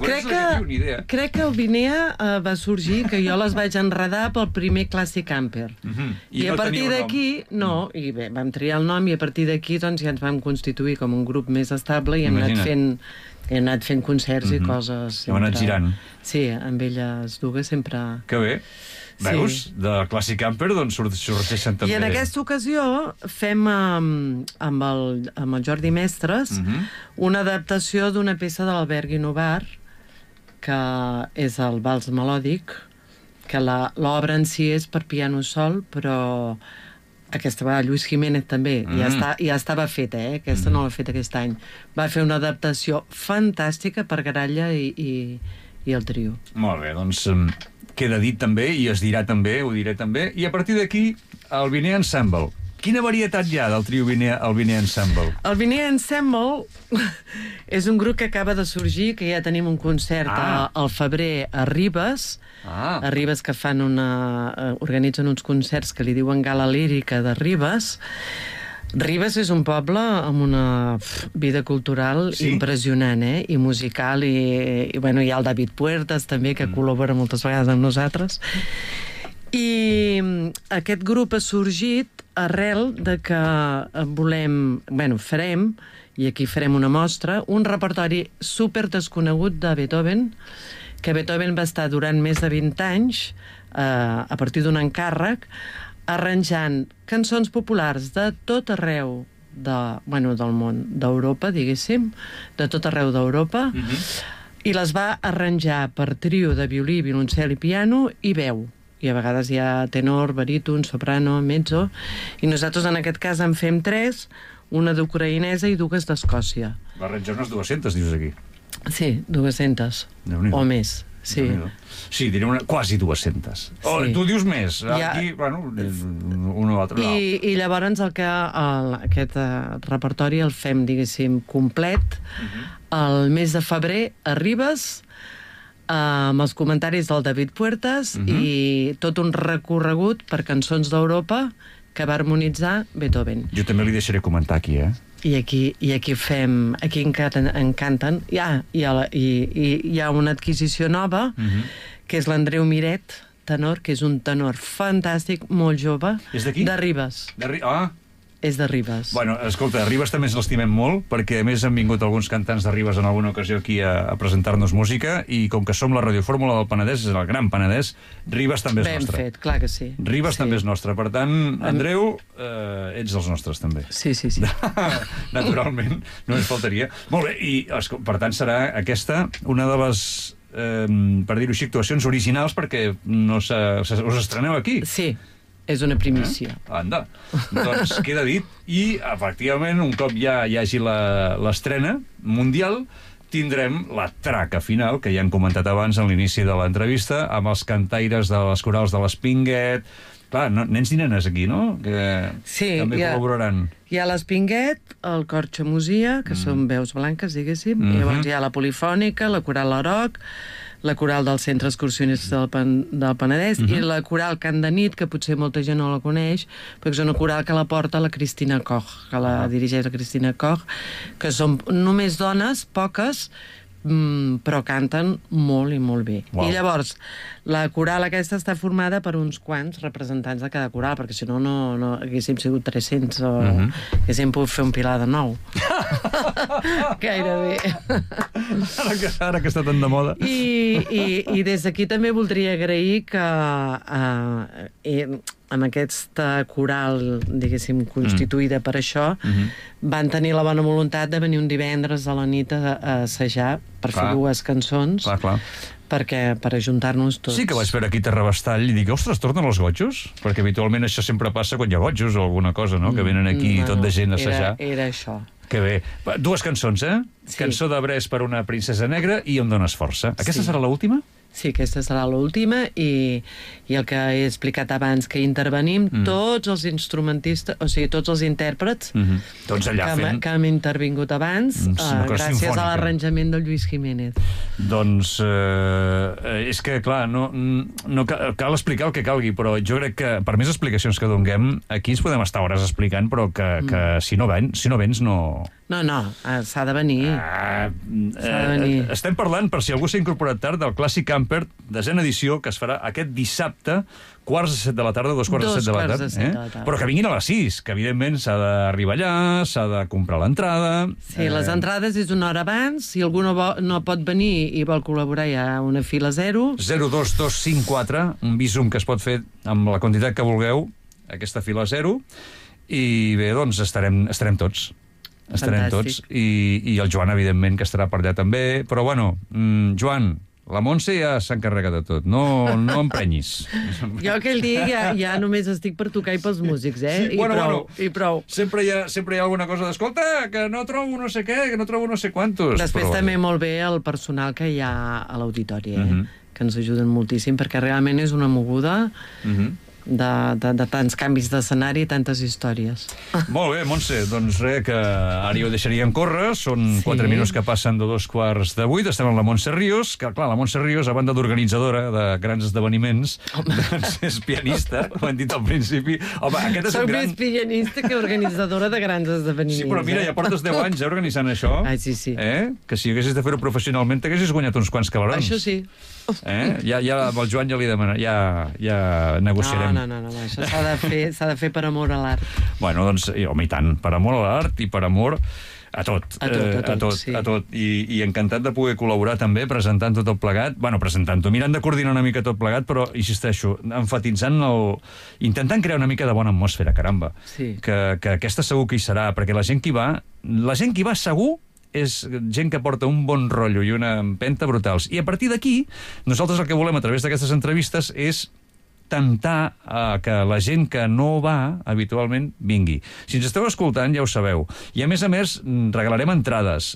crec, que, crec que el Vinea uh, va sorgir, que jo les vaig enredar pel primer Classic Camper. Mm-hmm. I, I no a partir d'aquí, no, i bé, vam triar el nom i a partir d'aquí doncs, ja ens vam constituir com un grup més estable i hem Imagina't. anat fent hem anat fent concerts mm-hmm. i coses. Hem anat girant. Sí, amb elles dues sempre... Que bé. Veus? Sí. De Classic Camper, doncs sorgeixen també... I en aquesta ocasió fem amb, amb, el, amb el Jordi Mestres mm-hmm. una adaptació d'una peça de l'Albert Guinovar, que és el Vals Melòdic, que l'obra en si és per piano sol, però aquesta va Lluís Jiménez també, mm. ja, està, ja estava feta, eh? Aquesta mm. no l'ha fet aquest any. Va fer una adaptació fantàstica per Garalla i, i, i el trio. Molt bé, doncs... queda dit també, i es dirà també, ho diré també, i a partir d'aquí, el Viner Ensemble. Quina varietat hi ha del trio Viner, el Viner Ensemble? El Viner Ensemble és un grup que acaba de sorgir, que ja tenim un concert ah. al febrer a Ribes, ah. a Ribes que fan una... organitzen uns concerts que li diuen Gala Lírica de Ribes. Ribes és un poble amb una vida cultural sí. impressionant, eh? I musical, i, i bueno, hi ha el David Puertas també, que mm. col·labora moltes vegades amb nosaltres. I aquest grup ha sorgit arrel de que volem, bueno, farem, i aquí farem una mostra, un repertori super desconegut de Beethoven, que Beethoven va estar durant més de vint anys, eh, a partir d'un encàrrec, arranjant cançons populars de tot arreu de, bueno, del món, d'Europa, diguéssim, de tot arreu d'Europa, mm-hmm. i les va arranjar per trio de violí, violoncel i piano i veu. I a vegades hi ha tenor, baríton, soprano, mezzo, i nosaltres en aquest cas en fem tres, una d'ucraïnesa i dues d'Escòcia. Va arranjar unes dues-centes, dius aquí? Sí, dues-centes, o més. Sí, sí, diré una, quasi dues-centes. Oh, sí. Tu dius més. Aquí, ja... bueno, un o altre. I, i llavors el que, el, aquest uh, repertori el fem, diguéssim, complet. Uh-huh. El mes de febrer a Ribes, amb els comentaris del David Puertas uh-huh. i tot un recorregut per cançons d'Europa que va harmonitzar Beethoven. Jo també li deixaré comentar aquí, eh? I aquí, i aquí fem... Aquí encara en canten. Hi ha, hi ha, hi, hi, hi ha una adquisició nova, uh-huh. que és l'Andreu Miret, tenor, que és un tenor fantàstic, molt jove. És d'aquí? De Ribes. De Ri... Ah! És de Ribes. Bueno, escolta, a Ribes també ens l'estimem molt, perquè a més han vingut alguns cantants de Ribes en alguna ocasió aquí a, a presentar-nos música, i com que som la radiofórmula del Penedès, és el Gran Penedès, Ribes també és Ben nostre. Ben fet, clar que sí. Ribes sí. també és nostre. Per tant, Andreu, eh, ets dels nostres també. Sí, sí, sí. Naturalment, no ens faltaria. Molt bé, i per tant serà aquesta una de les... Eh, per dir-ho així, actuacions originals, perquè no se, se, us estreneu aquí. Sí, és una primícia. Eh? Anda. Doncs queda dit. I, efectivament, un cop ja hi hagi l'estrena mundial, tindrem la traca final, que ja han comentat abans en l'inici de l'entrevista, amb els cantaires de les corals de l'Espinguet. Clar, no, nens i nenes aquí, no? Que sí, també ha, col·laboraran. Hi ha l'Espinguet, el Cor Xamusia, que mm. són veus blanques, diguéssim, mm-hmm. i llavors hi ha la Polifònica, la Coral Laroc, la coral del Centre Excursionista del, Pen del Penedès uh-huh. i la coral Cant de Nit, que potser molta gent no la coneix, perquè és una coral que la porta la Cristina Koch, que la uh-huh. dirigeix la Cristina Koch, que són només dones, poques, mm, però canten molt i molt bé. Wow. I llavors, la coral aquesta està formada per uns quants representants de cada coral, perquè si no, no, no haguéssim sigut tres-cents o uh-huh. haguéssim pogut fer un pilar de nou. Gairebé. Ara que, ara que està tan de moda. I, i, i des d'aquí també voldria agrair que uh, eh, amb aquesta coral, diguéssim, constituïda mm. per això, mm-hmm. van tenir la bona voluntat de venir un divendres a la nit a, a assajar per clar. fer dues cançons. Clar, clar. Perquè, per ajuntar-nos tots. Sí que vaig veure aquí a Terrabastall i dic, ostres, tornen els gotjos? Perquè habitualment això sempre passa quan hi ha gotjos o alguna cosa, no? Que venen aquí no, tot de gent a assajar. Era, era això. Que bé. Dues cançons, eh? Sí. Cançó de Brés per una princesa negra i Em dones força. Aquesta sí. serà l'última? Sí, aquesta serà l'última i, i el que he explicat abans, que intervenim mm. tots els instrumentistes, o sigui, tots els intèrprets mm-hmm. tots allà que, fent... que han intervingut abans, mm, uh, gràcies sinfònica. a l'arranjament del Lluís Jiménez. Doncs eh, és que, clar, no, no cal, cal explicar el que calgui, però jo crec que per més explicacions que donguem, aquí ens podem estar hores explicant, però que, mm. que si, no ven, si no vens no... No, no, s'ha de venir. Ah, s'ha de venir. Eh, estem parlant, per si algú s'ha incorporat tard, del Clàssic Camper, desena edició, que es farà aquest dissabte, quarts de set de la tarda, dos quarts dos de set de la tarda. Eh? De la tarda. Però que vinguin a les sis, que evidentment s'ha d'arribar allà, s'ha de comprar l'entrada... Sí, eh... les entrades és una hora abans, si algú no, vol, no pot venir i vol col·laborar hi ha una fila zero. zero dos dos cinc quatre, un visum que es pot fer amb la quantitat que vulgueu, aquesta fila zero, i bé, doncs estarem, estarem tots. Estarem Fantàstic. tots, i, i el Joan, evidentment, que estarà per allà també. Però, bueno, mm, Joan, la Montse ja s'encarrega de tot. No, no emprenyis. Jo aquell dia ja, ja només estic per tocar i pels músics, eh? Sí, I, bueno, prou, bueno, i prou. Sempre hi, ha, sempre hi ha alguna cosa d'escolta, que no trobo no sé què, que no trobo no sé quantos. Després però... també molt bé el personal que hi ha a l'auditori, eh? Uh-huh. Que ens ajuden moltíssim, perquè realment és una moguda... Uh-huh. De, de, de tants canvis d'escenari i tantes històries. Molt bé, Montse, doncs res, que ara ja ho deixaríem córrer, són sí. quatre minuts que passen de dos quarts de vuit, estem amb la Montse Ríos, que clar, la Montse Ríos, a banda d'organitzadora de grans esdeveniments, doncs és pianista, com hem dit al principi. Home, aquest és Soc un gran... més pianista que organitzadora de grans esdeveniments. Sí, però mira, ja portes deu anys eh, organitzant això. Ah, sí, sí. Eh? Que si haguessis de fer-ho professionalment, t'haguessis guanyat uns quants calarons. Això sí. Eh? Ja, ja, amb el Joan ja li demanaré, ja, ja negociarem. No, no, no, no, això s'ha de fer, s'ha de fer per amor a l'art. Bueno, doncs, home, i tant, per amor a l'art i per amor a tot. A tot, a tot, a tot, sí. a tot. I, I encantat de poder col·laborar també, presentant tot el plegat, bueno, presentant-ho, mirant de coordinar una mica tot plegat, però, insisteixo, enfatitzant el... intentant crear una mica de bona atmosfera, caramba. Sí. Que, que aquesta segur que hi serà, perquè la gent que hi va, la gent que hi va segur és gent que porta un bon rotllo i una empenta brutals. I a partir d'aquí, nosaltres el que volem a través d'aquestes entrevistes és tentar eh, que la gent que no va habitualment vingui. Si ens esteu escoltant, ja ho sabeu. I a més a més, regalarem entrades.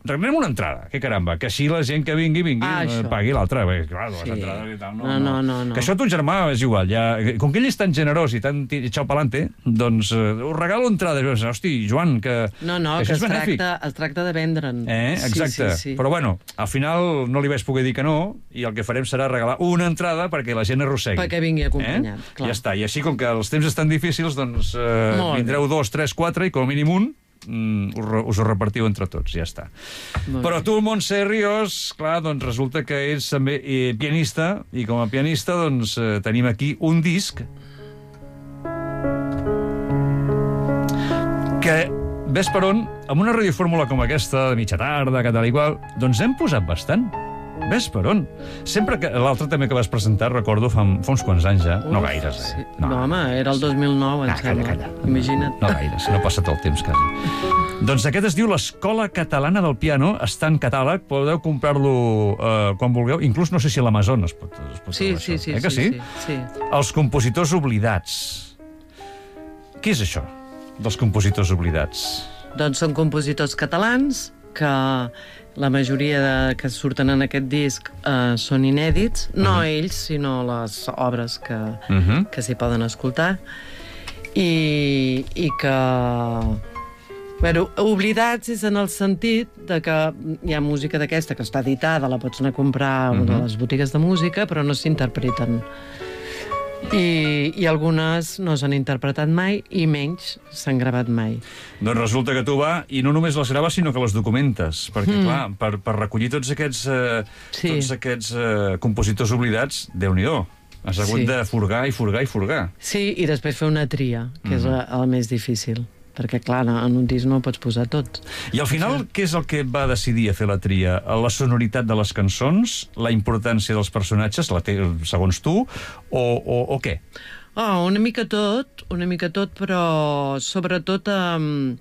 regalem una entrada, que caramba, que així la gent que vingui, vingui, Ah, eh, això. pagui l'altra. Bé, clar, les Sí. entrades i tal, no, No, no, no, no. Que això a ton germà és igual. Ja, com que ell és tan generós i tan ti- echao pa'lante, doncs eh, us regalo entrada. Hosti, Joan, que, No, no, que que això es és benèfic. tracta, es tracta de vendre'n. Eh, exacte. Sí, sí, sí. Però bueno, al final no li vaig poder dir que no, i el que farem serà regalar una entrada perquè la gent arrossegui. Perquè vingui acompanyat, eh? clar. Ja està. I així, com que els temps estan difícils, doncs eh, Molt bé. vindreu dos, tres, quatre, i com a mínim un mm, us, re- us ho repartiu entre tots, ja està. Molt Però bé. tu, Montse Ríos, clar, doncs resulta que ets també eh, pianista, i com a pianista doncs eh, tenim aquí un disc que, ves per on, amb una radiofórmula com aquesta, de mitja tarda, que tal i qual, doncs hem posat bastant. Ves per on. Sempre que... L'altre també que vas presentar, recordo, fa, fa uns quants anys ja. No Uf, gaires, eh? sí. No, home, era el dos mil nou, em Ah, calla, sembla. calla. Imagina't. No gaires, no ha passat el temps, quasi. Doncs aquest es diu l'Escola Catalana del Piano, està en catàleg, podeu comprar-lo eh, quan vulgueu, inclús no sé si a l'Amazon es pot, es pot Sí, trobar sí, això. sí, eh que sí, sí? sí, sí. Els compositors oblidats. Què és això, dels compositors oblidats? Doncs són compositors catalans que la majoria de, que surten en aquest disc eh, són inèdits, no ells, sinó les obres que, Uh -huh. que s'hi poden escoltar, i, i que... Bueno, oblidats és en el sentit de que hi ha música d'aquesta que està editada, la pots anar a comprar a una de les botigues de música, però no s'interpreten. I, I algunes no s'han interpretat mai i menys s'han gravat mai. Doncs resulta que tu va, i no només les graves, sinó que les documentes, perquè, mm. clar, per, per recollir tots aquests, eh, Sí. tots aquests eh, compositors oblidats, Déu-n'hi-do. Has hagut Sí. de furgar i furgar i furgar. Sí, i després fer una tria, que és el, el més difícil, perquè, clar, en un disc no ho pots posar tot. I al final, què és el que et va decidir a fer la tria? La sonoritat de les cançons? La importància dels personatges, la té, segons tu? O, o, o què? Oh, una mica tot, una mica tot, però sobretot um,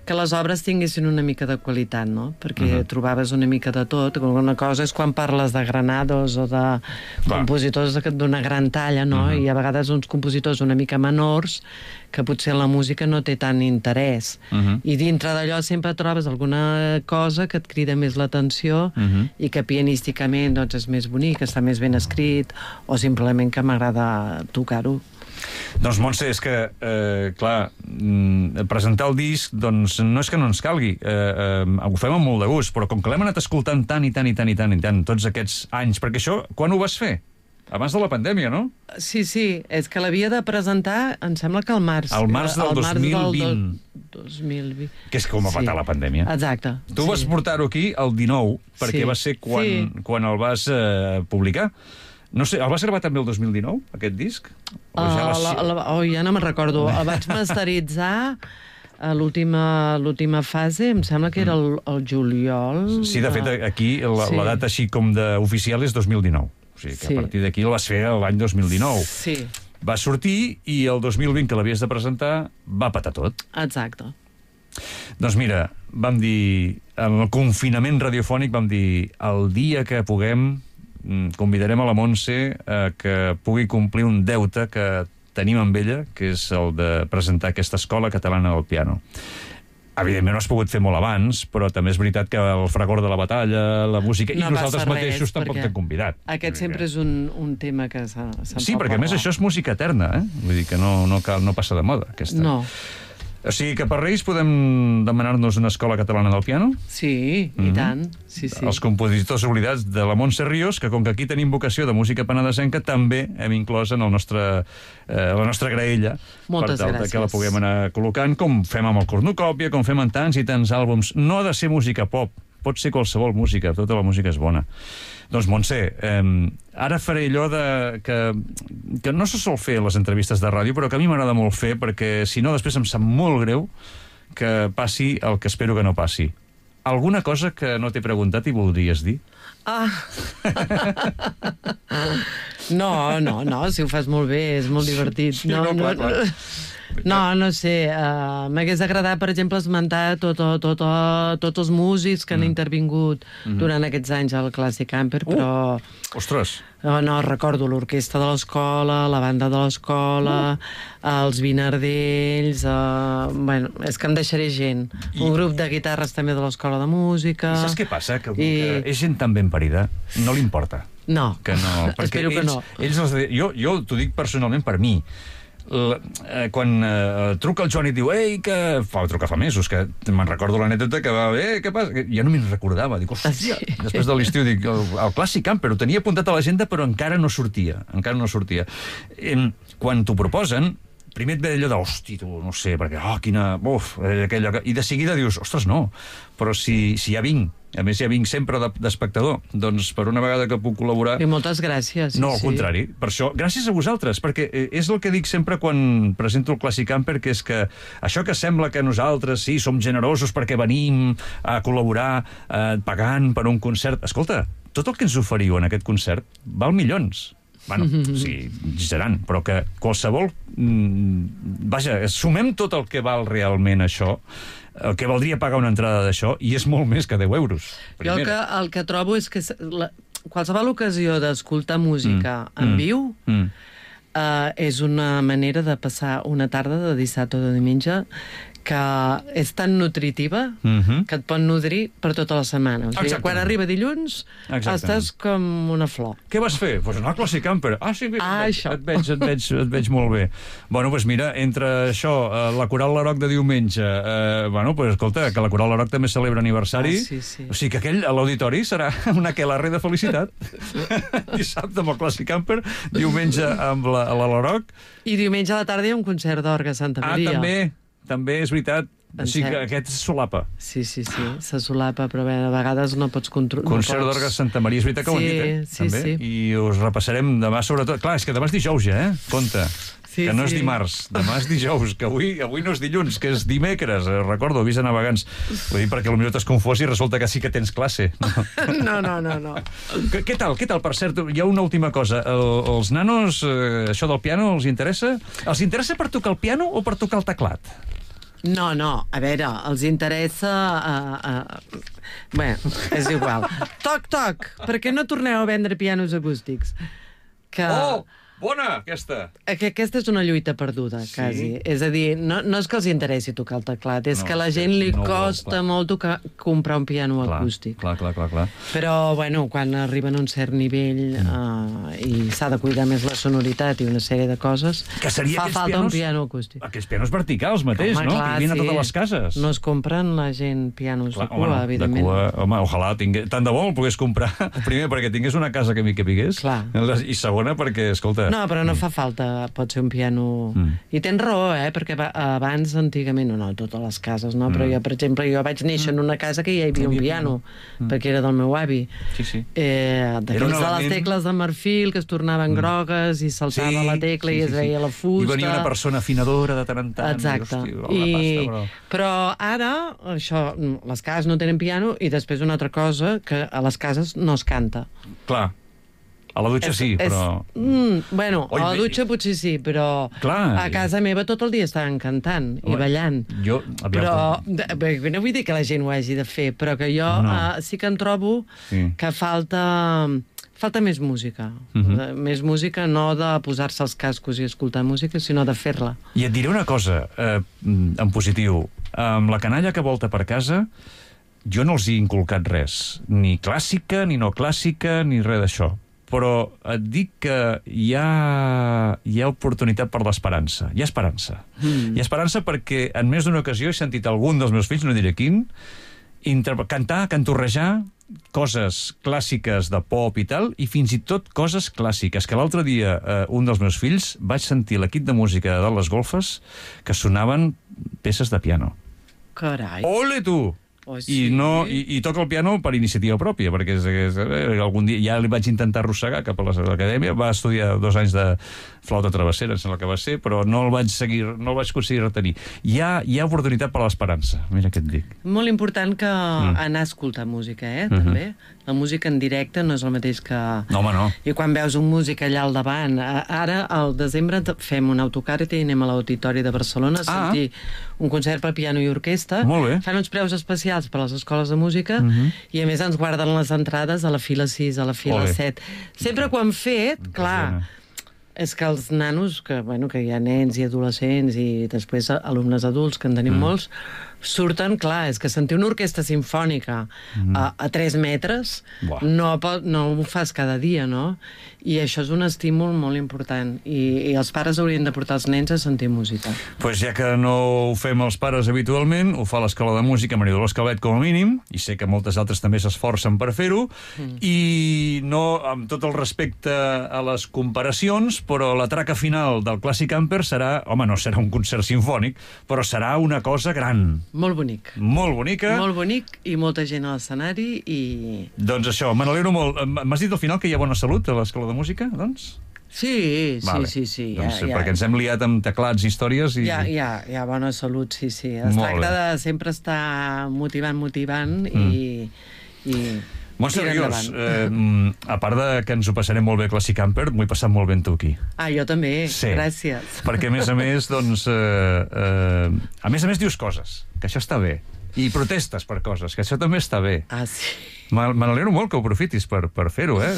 que les obres tinguessin una mica de qualitat, no? Perquè uh -huh. trobaves una mica de tot. Una cosa és quan parles de Granados o de Clar. compositors de- d'una gran talla, no? Uh -huh. I a vegades uns compositors una mica menors que potser la música no té tant interès. Uh -huh. I dintre d'allò sempre trobes alguna cosa que et crida més l'atenció Uh -huh. i que pianísticament doncs, és més bonic, està més ben escrit, o simplement que m'agrada tocar-ho. Doncs, Montse, és que, eh, clar, mm, presentar el disc, doncs, no és que no ens calgui. Eh, eh, ho fem amb molt de gust, però com que l'hem anat escoltant tant i tant i tant i tant i tant tots aquests anys, perquè això, quan ho vas fer? Abans de la pandèmia, no? Sí, sí, és que l'havia de presentar, em sembla que al març. Al març del Al dos mil vint. do- dos mil vint. Que és com va patar la pandèmia. Exacte. Tu vas portar-ho aquí el dinou, perquè Sí. va ser quan, Sí. quan el vas eh, publicar. No sé, el vas gravar també el dos mil dinou, aquest disc? O Uh, ja les- la, la, oh, ja no me'n recordo. El vaig masteritzar a l'última l'última fase, em sembla que era el, el juliol. Sí, de fet, aquí la, Sí. la data així com d'oficial és dos mil dinou. O sigui que Sí. a partir d'aquí el vas fer l'any dos mil dinou. Sí, Va sortir i el dos mil vint, que l'havies de presentar, va patar tot. exacte. Doncs mira, vam dir, en el confinament radiofònic vam dir, el dia que puguem mm, convidarem a la Montse a que pugui complir un deute que tenim amb ella, que és el de presentar aquesta escola catalana del piano. Evidentment no has pogut fer molt abans, però també és veritat que el fragor de la batalla, la música, No i nosaltres passa res, mateixos tampoc perquè t'hem convidat. Aquest Vull dir sempre que- és un, un tema que se'n Sí, perquè a més això és música eterna, eh? Vull dir que no, no, cal, no passa de moda, aquesta. No, O sigui que per Reis podem demanar-nos una escola catalana del piano? sí, i Mhm. tant. Sí, sí. Els compositors oblidats de la Montse Ríos, que com que aquí tenim vocació de música penedesenca, també hem inclòs en el nostre, eh, la nostra graella, Moltes per tal de gràcies. que la puguem anar col·locant, com fem amb el cornucòpia, com fem en tants i tants àlbums. No ha de ser música pop, pot ser qualsevol música, tota la música és bona. Doncs, Montse, eh, ara faré allò de, que, que no se sol fer a les entrevistes de ràdio, però que a mi m'agrada molt fer, perquè si no després em sap molt greu que passi el que espero que no passi. Alguna cosa que no t'he preguntat i voldries dir? Ah. No, no, no, si ho fas molt bé, és molt divertit. Sí, no, clar, clar. No, no sé. Uh, M'hagués agradat, per exemple, esmentar tot, tot, tots els músics que han mm. intervingut mm. durant aquests anys al Classic Camper, uh, però... Ostres! Uh, no, recordo l'orquestra de l'escola, la banda de l'escola, uh. els Vinardells... Uh, bueno, és que em deixaré gent. I... Un grup de guitarres també de l'escola de música... I saps què passa? Que, I... que és gent tan ben parida, no li importa. No, que no, espero que ells, no. Ells els, jo jo t'ho dic personalment per mi. L, eh, quan eh, truca el Joan i diu ei, que... Fa, truca fa mesos, que me'n recordo l'anècdota que va... Eh, què passa? Que ja no me'n recordava. Dic, hòstia, sí. Després de l'estiu, dic, el, el Classic Camper, ho tenia apuntat a l'agenda, però encara no sortia. Encara no sortia. Eh, quan t'ho proposen, primer et ve allò de, hosti, tu, no sé, perquè, oh, quina... Uf, aquella... I de seguida dius, ostres, no, però si, si ja vinc, a més ja vinc sempre d'espectador, doncs per una vegada que puc col·laborar... I moltes gràcies. No, al sí. contrari. Per això, gràcies a vosaltres, perquè és el que dic sempre quan presento el Classic Camper, que és que això que sembla que nosaltres, sí, som generosos perquè venim a col·laborar eh, pagant per un concert... Escolta, tot el que ens oferiu en aquest concert val milions. Bueno, sí, exagerant, però que qualsevol... Mm, vaja, sumem tot el que val realment això, el que valdria pagar una entrada d'això, i és molt més que deu euros. Primera. Jo el que, el que trobo és que la, qualsevol ocasió d'escoltar música mm. en viu mm. uh, és una manera de passar una tarda de dissabte o de diumenge que és tan nutritiva mm-hmm. que et pot nodrir per tota la setmana. O sigui, quan arriba dilluns estàs com una flor. Què vas fer? Pues anar al Classic Camper. Ah, sí, ah, et, això. Et, veig, et, veig, et veig molt bé. Bueno, doncs mira, entre això, la Coral Laroc de diumenge, eh, bueno, pues escolta, que la Coral Laroc també celebra aniversari, ah, sí, sí. O sigui que aquell a l'auditori serà una aquelarre de felicitat. Dissabte amb el Classic Camper, diumenge amb la, la Laroc. I diumenge a la tarda hi ha un concert d'orgue a Santa Maria. Ah, també. També és veritat. O sigui que aquest se solapa. Sí, sí, sí, se solapa, però bé, a vegades no pots controlar. Concert no pots... d'orgue a Santa Maria, és veritat que sí, ho hem dit, eh? Sí, també. sí. I us repassarem demà, sobretot. Clar, és que demà és dijous ja, eh? Compte. Sí, que no és sí. dimarts, demà és dijous, que avui, avui no és dilluns, que és dimecres, eh, recordo, avís a navegants. Vull dir, perquè potser t'has confós i resulta que sí que tens classe. No, no, no, no. Què, què tal, què tal? Per cert, hi ha una última cosa. El, els nanos, eh, això del piano, els interessa? Els interessa per tocar el piano o per tocar el teclat? No, no, a veure, els interessa... Uh, uh, bé, és igual. Toc, toc, per què no torneu a vendre pianos acústics? Que... Oh! Bona, aquesta! Que aquesta és una lluita perduda, sí? Quasi. És a dir, no, no és que els interessi tocar el teclat, és no, que a la gent li no costa vol, molt tocar, comprar un piano clar, acústic. Clar, clar, clar, clar. Però, bueno, quan arriben a un cert nivell mm. uh, i s'ha de cuidar més la sonoritat i una sèrie de coses, que seria fa falta pianos, un piano acústic. Aquests pianos verticals mateix, home, no? Clar, que vinen sí. a totes les cases. No es compren la gent pianos clar, de cua, home, evidentment. De cua, home, ojalà, tingués, tant de bo el pogués comprar. Primer, perquè tingués una casa que m'hi capigués. Clar. I segona, perquè, escolta... No, però no fa falta, pot ser un piano... Mm. I tens raó, eh? Perquè abans, antigament, no, no, totes les cases, no? Mm. Però jo, per exemple, jo vaig néixer en una casa que hi havia un piano, mm. perquè era del meu avi. Sí, sí. Eh, D'aquells de les tecles de marfil que es tornaven mm. grogues i saltava sí, la tecla sí, i es veia sí. la fusta. I venia una persona afinadora de tant en tant. Exacte. I, hosti, I... pasta, però... però ara, això, les cases no tenen piano i després una altra cosa, que a les cases no es canta. Clar. A la dutxa és, sí, però... És, mm, bueno, Oi, a la dutxa bé... potser sí, però clar, a casa meva tot el dia estaven cantant i Home, ballant. Jo, però, de, no vull dir que la gent ho hagi de fer, però que jo no. uh, sí que en trobo sí. que falta... Falta més música. Uh-huh. Més música, no de posar-se els cascos i escoltar música, sinó de fer-la. I et diré una cosa, eh, en positiu. Amb la canalla que volta per casa, jo no els he inculcat res. Ni clàssica, ni no clàssica, ni res d'això. Però et dic que hi ha, hi ha oportunitat per l'esperança. Hi ha esperança. Mm. Hi ha esperança perquè en més d'una ocasió he sentit algun dels meus fills, no diré quin, cantar, cantorrejar coses clàssiques de pop i tal, i fins i tot coses clàssiques, que l'altre dia eh, un dels meus fills vaig sentir l'equip de música de les golfes que sonaven peces de piano. Carai! Ole, tu! Oh, sí. I, no, i, i toca el piano per iniciativa pròpia, perquè és, és, eh, algun dia ja li vaig intentar arrossegar cap a l'acadèmia, va estudiar dos anys de flauta travessera, em sembla que va ser, però no el vaig seguir, no el vaig aconseguir retenir. Hi ha, hi ha oportunitat per l'esperança, mira què et dic. Molt important que mm. anar a escoltar música, eh, també. Mm-hmm. La música en directe no és el mateix que... No, home, no. I quan veus un músic allà al davant... Ara, al desembre, fem un autocar i anem a l'Auditori de Barcelona a Ah. sentir un concert per piano i orquestra. Molt bé. Fan uns preus especials per a les escoles de música Mhm. i, a més, ens guarden les entrades a la fila sis, a la fila Ole. set. Sempre que ho han fet, clar... És que els nanos, que, bueno, que hi ha nens i adolescents i després alumnes adults, que en tenim mm. molts, surten, clar, és que sentir una orquestra sinfònica mm. a, a tres metres no, pot, no ho fas cada dia, no? I això és un estímul molt important. I, i els pares haurien de portar els nens a sentir música. Doncs pues ja que no ho fem els pares habitualment, ho fa l'Escola de Música Maria Dolors Calvet com a mínim, i sé que moltes altres també s'esforcen per fer-ho, mm. i no, amb tot el respecte a les comparacions, però la traca final del Classic Camper serà, home, no serà un concert sinfònic, però serà una cosa gran. Molt bonic. Molt bonica. Molt bonic i molta gent a l'escenari i... Doncs això, me n'alegro molt. M'has dit al final que hi ha bona salut a l'Escola de Música, doncs? Sí, sí, vale. sí, sí. Doncs, ja, ja. perquè ens hem liat amb teclats i històries i... Hi ha, hi ha, hi ha bona salut, sí, sí. Es Molt tracta bé. de sempre estar motivant, motivant mm. i... i... Montse Ríos, eh, a part de que ens ho passarem molt bé a Classic Camper, m'ho he passat molt bé amb tu aquí. Ah, jo també, sí. Gràcies. Perquè, a més a més, doncs... Eh, eh, a més a més dius coses, que això està bé. I protestes per coses, que això també està bé. Ah, sí. Me n'alegro molt que ho aprofitis per, per fer-ho, eh?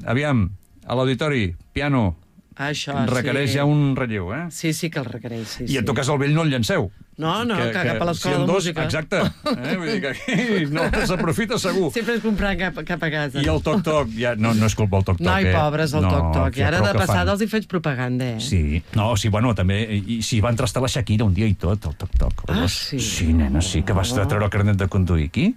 Aviam, a l'auditori, piano, això, requereix sí. ja un relleu, eh? Sí, sí que el requereix, sí. I en sí. tot cas el vell no el llanceu. No, no, que, que cap a l'escola si de dos, música. Exacte. Eh? Vull dir que aquí no s'aprofita segur. Sempre és comprar cap, cap a casa. I el toc-toc, ja, no, no és culpa el toc-toc. Noi, eh? pobres, el no, toc-toc. I ara de passada fan. els hi faig propaganda, eh? Sí, no, sí, bueno, també, i si va entrestar la Shakira un dia i tot, el toc-toc. Ah, sí? Sí, nena, sí, que vas Oh. treure el carnet de conduir aquí,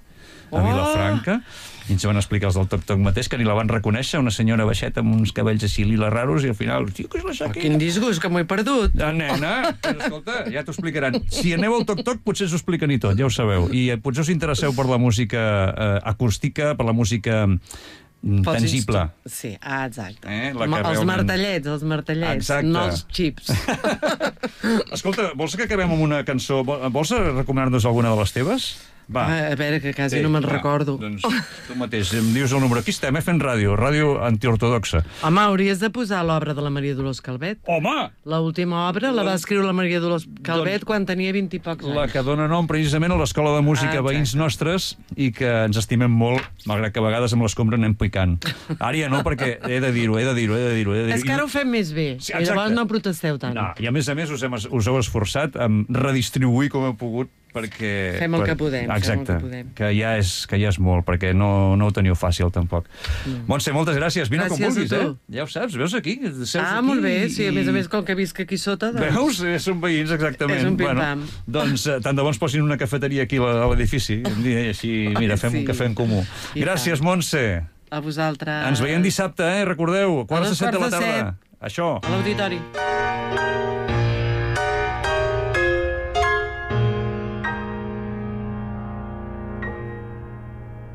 a Oh. Vilafranca, i ens van explicar els del toc-toc mateix, que ni la van reconèixer, una senyora baixeta amb uns cabells així lila raros, i al final, tio, que és la Oh, Shakira. quin disgust, que m'ho he perdut. Ah, nena, escolta, ja t'ho explicaran. Si aneu al toc-toc, potser us ho expliquen i tot, ja ho sabeu. I eh, potser us interesseu per la música eh, acústica, per la música mm, Pels tangible. instru- Sí, ah, exacte. Eh, la que Ma- els realment- martellets, els martellets, Exacte. no els xips. Escolta, vols que acabem amb una cançó? Vol- Vols recomanar-nos alguna de les teves? Va. A veure, que quasi Sí, no me'n va, recordo. Doncs tu mateix, em dius el número. Aquí estem, eh, fent ràdio, ràdio antiortodoxa. Home, hauries de posar l'obra de la Maria Dolors Calvet. Home! L'última obra la va escriure la Maria Dolors Calvet Doncs quan tenia vint i pocs anys. La que dona nom precisament a l'Escola de Música Ah, Veïns Nostres i que ens estimem molt, malgrat que a vegades amb l'escombra anem picant. Ara ja no, perquè he de dir-ho, he de dir-ho, he de dir-ho. he de dir-ho. És que ara ho fem més bé, Sí, i exacte. llavors no protesteu tant. No, i a més a més us, hem, us heu esforçat en redistribuir com heu pogut perquè... Fem el per- que podem, fem el Exacte, que podem. que ja és, que ja és molt, perquè no, no ho teniu fàcil, tampoc. Mm. Montse, moltes gràcies. Vine Gràcies com vulguis, a eh? tu. Ja ho saps, veus aquí? Seus Ah, aquí molt bé, sí, a i- més a més, com que visc aquí sota, doncs... Veus? Eh, Són veïns, exactament. És un pim-pam. Bueno, doncs eh, tant de bo ens posin una cafeteria aquí a a l'edifici, un dia, i així, mira, Ai, fem sí. un cafè en comú. I Gràcies, tant. Montse. A vosaltres. Ens veiem dissabte, eh? Recordeu, quarts de dos set de la quarts de tarda. Això. A l'auditori.